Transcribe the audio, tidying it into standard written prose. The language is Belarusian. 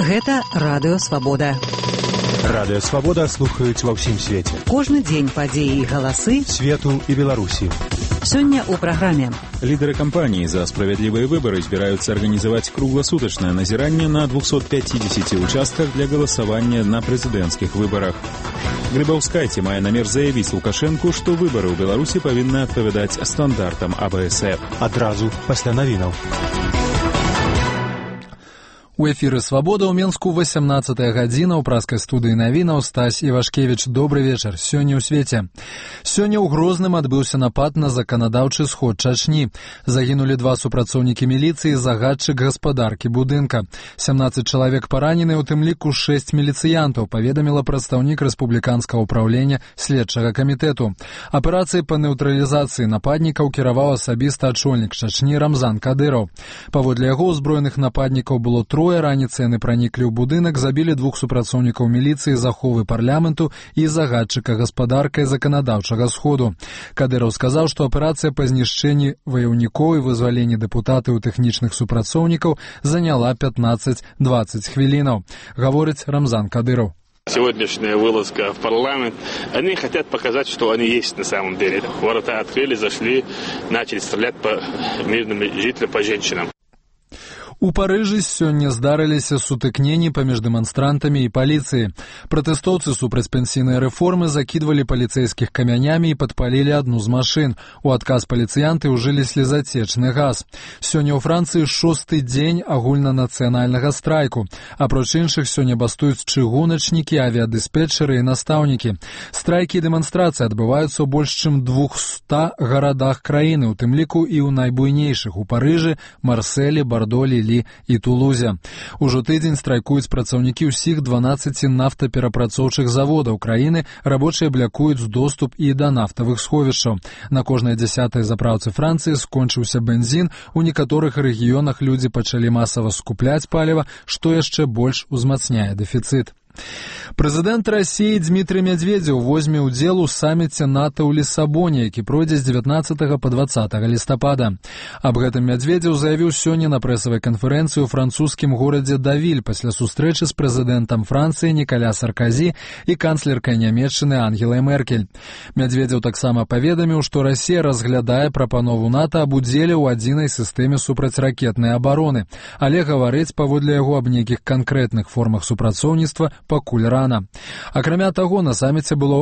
Гэта Радыё Свабода. Радыё Свабода слухаюць ва ўсім свеце. Кожны дзень падзеі і галасы свету і Беларусі. Сёння ў праграме. Лидеры кампании «За справедливые выборы» збираются организовать круглосуточное назирание на 250 участках для голосования на президентских выборах. Грибаўскайце мае намер заявить Лукашенку, что выборы ў Беларусі павінны адпавядаць стандартам АБСФ. Адразу пасля навінаў. У эфіры «Свабода» ў Менску 18-я гадзіна ў праскай студыі навінаў Стась Івашкевіч. Добры вечар. Сёння ў свеце. Сёння ў Грозным адбыўся напад на заканадаўчы сход Чачні. Загінулі 2 супрацоўнікі міліцыі і загадчык гаспадаркі будынка. 17 чалавек паранены, у тым ліку 6 міліцыянтаў, паведаміла прадстаўнік рэспубліканскага ўпраўлення следчага камітэту. Аперацыяй па нейтралізацыі нападнікаў кіраваў асабіста ачольнік Чачні Рамзан Кадыраў. Паводле яго ўзброеных нападнікаў было 3. Раніцай яны праніклі ў будынак, забілі 2 супрацоўнікаў міліцыі, заховы парламенту і загадчыка гаспадаркай заканадаўчага сходу. Кадыраў сказаў, што аперацыя па знішчэнні ваяўнікоў і вызваленні дэпутатаў і тэхнічных супрацоўнікаў заняла 15-20 хвілінаў. Гаворыць Рамзан Кадыраў. Сегодняшняя вылазка в парламент, они хотят показать, что они есть на самом деле. Ворота открыли, зашли, начали стрелять по мирным жителям, по женщинам. У Парыжы сёння здарыліся сутыкненні паміж дэманстрантамі і паліцыяй. Пратэстоўцы супраць пенсійнай рэформы закідвалі паліцэйскіх камянямі і падпалілі адну з машын. У адказ паліцыянты ўжылі слезацечны газ. Сёння ў Францыі 6-й дзень агульнанацыянальнага страйку. Апроч іншых, сёння бастуюць чыгуначнікі, авіядыспетчары і настаўнікі. Страйкі і дэманстрацыі адбываюцца ў больш чым 200 гарадах краіны, у тым ліку і ў найбуйнейшых у Парыжы, Марселі, Бардолі, і Тулузе. Ужо тыдзень страйкуюць працаўнікі ўсіх 12 нафтаперапрацоўчых заводаў краіны, рабочыя блякуюць доступ і да нафтавых сховішчаў. На кожнай 10-й заправцы Францыі скончыўся бензін, у некаторых рэгіёнах людзі пачалі масава скупляць паліва, што яшчэ больш узмацняе дэфіцыт. Прэзідэнт Расіі Дмітрый Медведзеў возьме ўдзел у саміце НАТО ў Лісабоне, які пройдзе з 19 па 20 лістапада. Аб гэтым Медведзеў заявіў сёння на прэсавай канферэнцыі ў французскім горадзе Давіль пасля сустрэчы з прэзідэнтам Францыі Нікаля Сарказі і канцлеркай Нямецчыны Ангелай Меркель. Медведзеў таксама паведаміў, што Расія разглядае прапанову НАТО аб удзеле ў адзінай сістэме супрацьракетнай абароны, але гаварыць паводле яго аб нейкіх канкрэтных формах супрацоўніцтва пакуль рана. Акрамя таго, на саміце было